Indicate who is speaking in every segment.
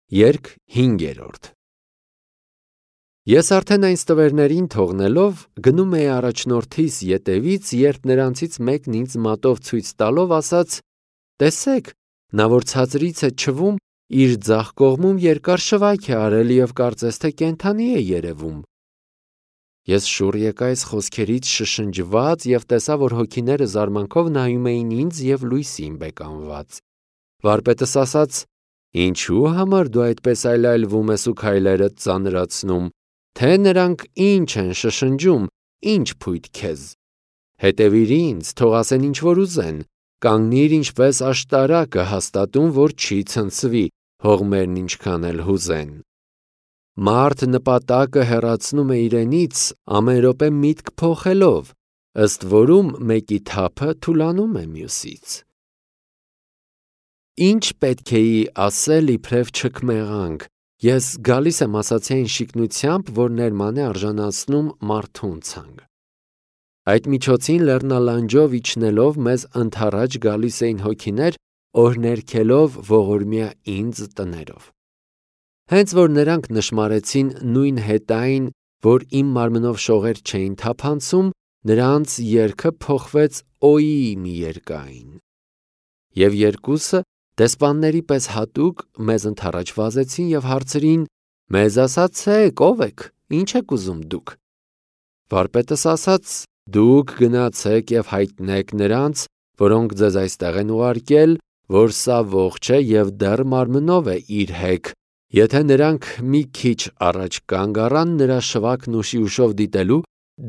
Speaker 1: Երգ 5-րդ Ես արդեն այն ստվերներին թողնելով գնում էի առաջնորդիս ետևից, երբ նրանցից մեկն ինձ մատով ցույց տալով ասաց. «Տեսեք, նա որ ցածրից է չվում, իր ձախ կողմում երկար շվայք է արել և կարծես թե կենդանի է երևում»։ Ես շուռ եկա այս խոսքերից շշնջված և տեսա, որ հոգիները զարմանքով նայում էին ինձ և լույսին բեկանված։ Վարպետս ասաց. «Ինչու համար դու այդպես այլայլվում ես ու քայլերդ ծանրացնում, թե նրանք ինչ են շշնջում, ինչ փույթ քեզ։ Հետևիր ինձ, թող ասեն ինչ որ ուզեն, կանգնիր ինչպես աշտարակը հաստատում, որ չի ցնցվի, հողմերն ինչքան էլ հուզեն»։ Մարդ նպատակը հեռացնում է իրենից ամեն րոպե միտք փոխելով, ըստ որում մեկի թափը թուլանում է մյուսից։ Ինչ պետք է ասել իբրև չքմեղանք, ես գալիս եմ ասացիային շիկնությամբ, որ ներման է արժանացնում մարդուն ցանկ։ Այդ միջոցին լեռնալանջով իջնելով մեզ ընդառաջ գալիս էին հոգիներ, օրհներգելով ողորմյա ինձ տներով։ Հենց որ նրանք նշմարեցին նույն հետայն, որ իմ մարմնով շողեր չէին թափանցում, նրանց երգը փոխվեց օի մի երկայն։ Եվ երկուսը դեսպանների պես հատուկ մեզ ընդառաջ վազեցին և հարցրին. «Մեզ ասացեք, ով եք, ինչ եք ուզում դուք»։ Վարպետս ասաց. «Դուք գնացեք և հայտնեք նրանց, որոնք ձեզ այստեղ են ուղարկել, որ սա ողջ է և դեռ մարմնով է իր հեք, եթե նրանք մի քիչ առաջ կանգ առան նրա շվաքն ուշի ուշով դիտելու,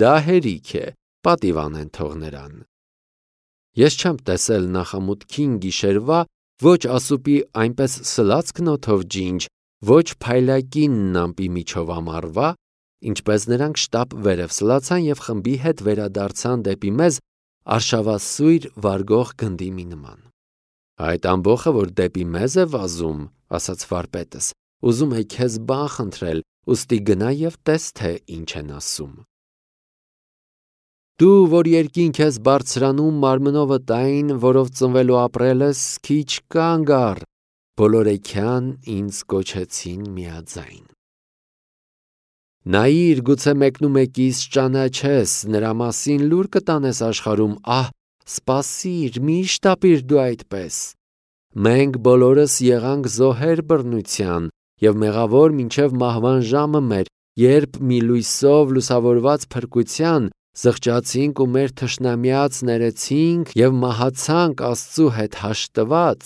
Speaker 1: դա հերիք է, պատիվ անեն թող նրան»։ Ես չեմ տեսել նախամուտքին գիշերվա ոչ ասուպի այնպես սլացքն օդով ջինջ, ոչ փայլակինն ամպի միջով ամառվա, ինչպես նրանք շտապ վերև սլացան և խմբի հետ վերադարձան դեպի մեզ արշավասույր վարգող գնդի մի նման։ «Այդ ամբոխը, որ դեպի մեզ է վազում, ասաց վարպետս, ուզում է քեզ բան խնդրել, ուստի գնա և տես, թե ինչ են ասում»։ Դու, որ երկինք ես բարձրանում մարմնովդ այն, որով ծնվել ու ապրել ես, քիչ կանգ առ, բոլորեքյան ինձ կոչեցին միաձայն։ Նայիր, գուցե մեկնումեկիս ճանաչես, նրա մասին լուր կտանես աշխարհում, ահ, սպասիր, մի շտապիր դու այդպես։ Մենք բոլորս եղանք զոհեր բռնության և մեղավոր մինչև մահվան ժամը մեր, երբ մի լույսով լուսավորված փրկության զղջացինք ու մեր թշնամյաց ներեցինք և մահացանք Աստծու հետ հաշտված,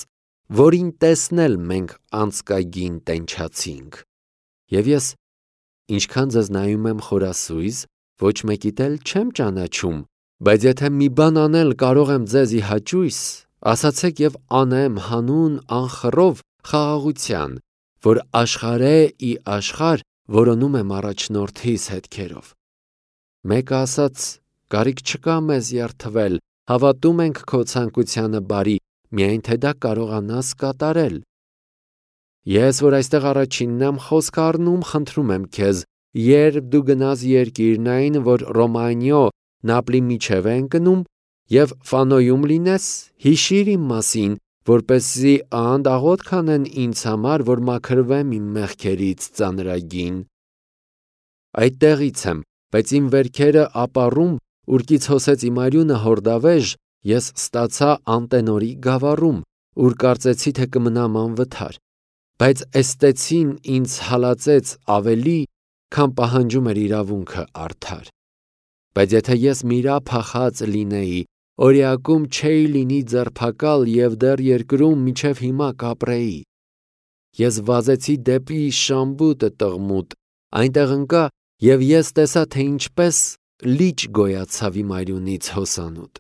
Speaker 1: որին տեսնել մենք անցկագին տենչացինք։ Եվ ես ինչքան ձեզ նայում եմ խորասույզ, ոչ մեկիդ էլ չեմ ճանաչում, բայց եթե մի բան անել կարող եմ ձեզ ի հաճույս, ասացեք և անեմ հանուն անխռով խաղաղության, որ աշխարհե ի աշխարհ որոնում եմ առաջնորդիս հետքերով։ Մեկը ասաց. «Կարիք չկա մեզ երդվել, հավատում ենք քո ցանկությանը բարի, միայն թե դա կարողանաս կատարել»։ Ես, որ այստեղ առաջինն եմ խոսք առնում, խնդրում եմ քեզ, երբ դու գնաս երկիրն այն, որ Ռոմանիո Նապլի միջև է ընկնում, և Ֆանոյում լինես, հիշիր իմ մասին, որպեսզի աղանդ աղոթք անեն ինձ համար, որ մաքրվեմ իմ մեղքերից ծանրագին։ Այդտեղից եմ, բայց իմ վերքերը ապառում, ուրկից հոսեց իմ արյունը հորդավեժ, ես ստացա Անտենորի գավառում, ուր կարծեցի, թե կմնամ անվթար, բայց էստեցին ինձ հալածեց ավելի, քան պահանջում էր իրավունքը արդար։ Բայց եթե ես միրափախած լինեի, օրիակում չէի լինի ձերբակալ և դեռ երկրում մինչև հիմա կապրեի։ Ես վազեցի դեպի Շամբուտը տղմուտ, այնտեղ ընկա, և ես տեսա, թե ինչպես լիճ գոյացավ իմ արյունից հոսանոտ։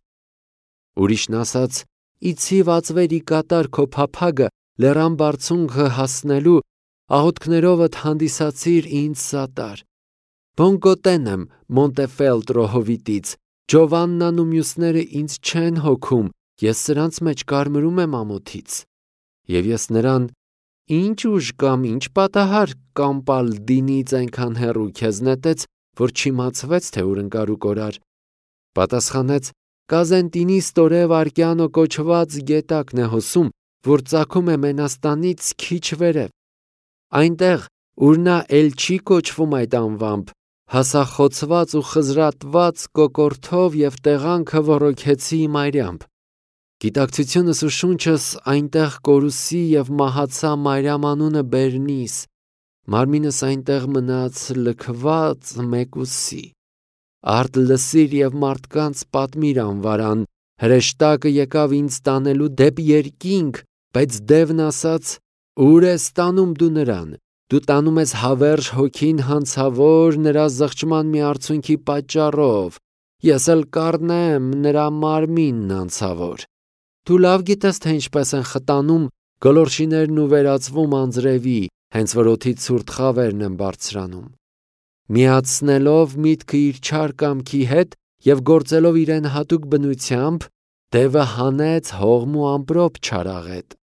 Speaker 1: Ուրիշն ասաց. «Իցի վածվերի կատար քո փափագը լեռան բարձունքը հասնելու, աղոթքներովդ հանդիսացիր ինձ սատար։ Բոնկոտեն եմ Մոնտեֆելտրո հովիտից, Ջովաննան ու մյուսները ինձ չեն հոգում, ես սրանց մեջ կարմրում եմ ամոթից»։ Եվ ես նրան. «Ինչ ուժ կամ ինչ պատահար Կամպալդինից այնքան հեռու քեզ նետեց, որ չիմացվեց, թե ուր ընկար ու կորար»։ Պատասխանեց. «Կազենտինի Ստորե Վարկյանո կոչված գետակն է հոսում, որ ծագում է Մենաստանից քիչ վերև»։ այնտեղ, ուր նա էլ չի կոչվում այդ անվամբ, հասախոցված ու խզրատված կոկորդով և տեղանքը ոռոգեցի իմ այրյամբ։ Գիտակցությունս ու շունչս այնտեղ կորուսի և մահացա Մարիամ անունը բերնիս, մարմինս այնտեղ մնաց լքված մեկուսի։ Արդ լսիր և մարդկանց պատմիր անվարան, հրեշտակը եկավ ինձ տանելու դեպի երկինք, բայց դևն ասաց. «Ուր ես տանում դու նրան, դու տանում ես հավերժ հոգին հանցավոր նրա զղջման մի արցունքի պատճառով, ես էլ կառնեմ նրա մարմինն անցավոր»։ Դու լավ գիտես, թե ինչպես են խտանում գոլորշիներն ու վերածվում անձրևի, հենց որ օդից ցուրտ խավերն են բարձրանում։ Միացնելով միտքը իր չար կամքի հետ և գործելով իրեն հատուկ բնությամբ, դևը հանեց հողմ ու ամպրոպ չարաղետ։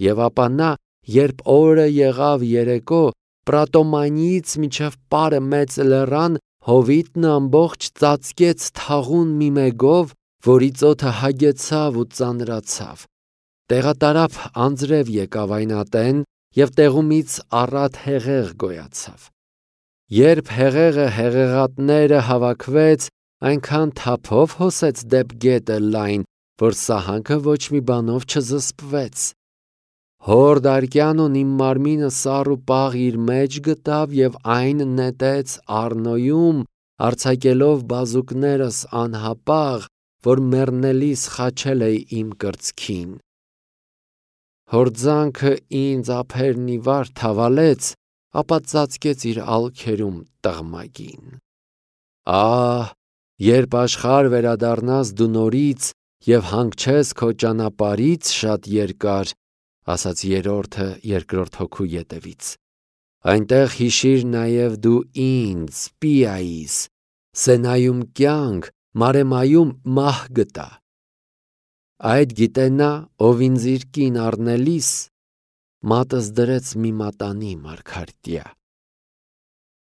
Speaker 1: Եվ ապա նա, երբ օրը եղավ երեկո, Պրատոմանիից մինչև Պարը մեծ լեռան, հովիտն ամբողջ ծածկեց թաղուն մի մեգով, որից օդը հագեցավ ու ծանրացավ։ Տեղատարափ անձրև եկավ այն ատեն, և տեղումից առատ հեղեղ գոյացավ։ Երբ հեղեղը հեղեղատները հավաքվեց, այնքան թափով հոսեց դեպ գետը լայն, որ սահանքը ոչ մի բանով չզսպվեց։ Հորդ Արկյանոն իմ մարմինը սառ ու պաղ իր մեջ գտավ և այն նետեց Առնոյում, արձակելով բազուկներս անհապաղ, որ մեռնելիս խաչել էի իմ կրծքին։ Հորձանքը ինձ ափերն ի վար թավալեց, ապա ծածկեց իր ալքերում տղմագին։ Ահ, երբ աշխարհ վերադառնաս դու նորից և հանգչես քո ճանապարհից շատ երկար, ասաց երրորդը երկրորդ հոգու ետևից, այնտեղ հիշիր նաև դու ինձ, Պիայիս, Սենայում կյանք, Մարեմայում մահ գտա։ Այդ գիտե նա, ով ինձ իր կին առնելիս մատս դրեց մի մատանի մարգարտյա։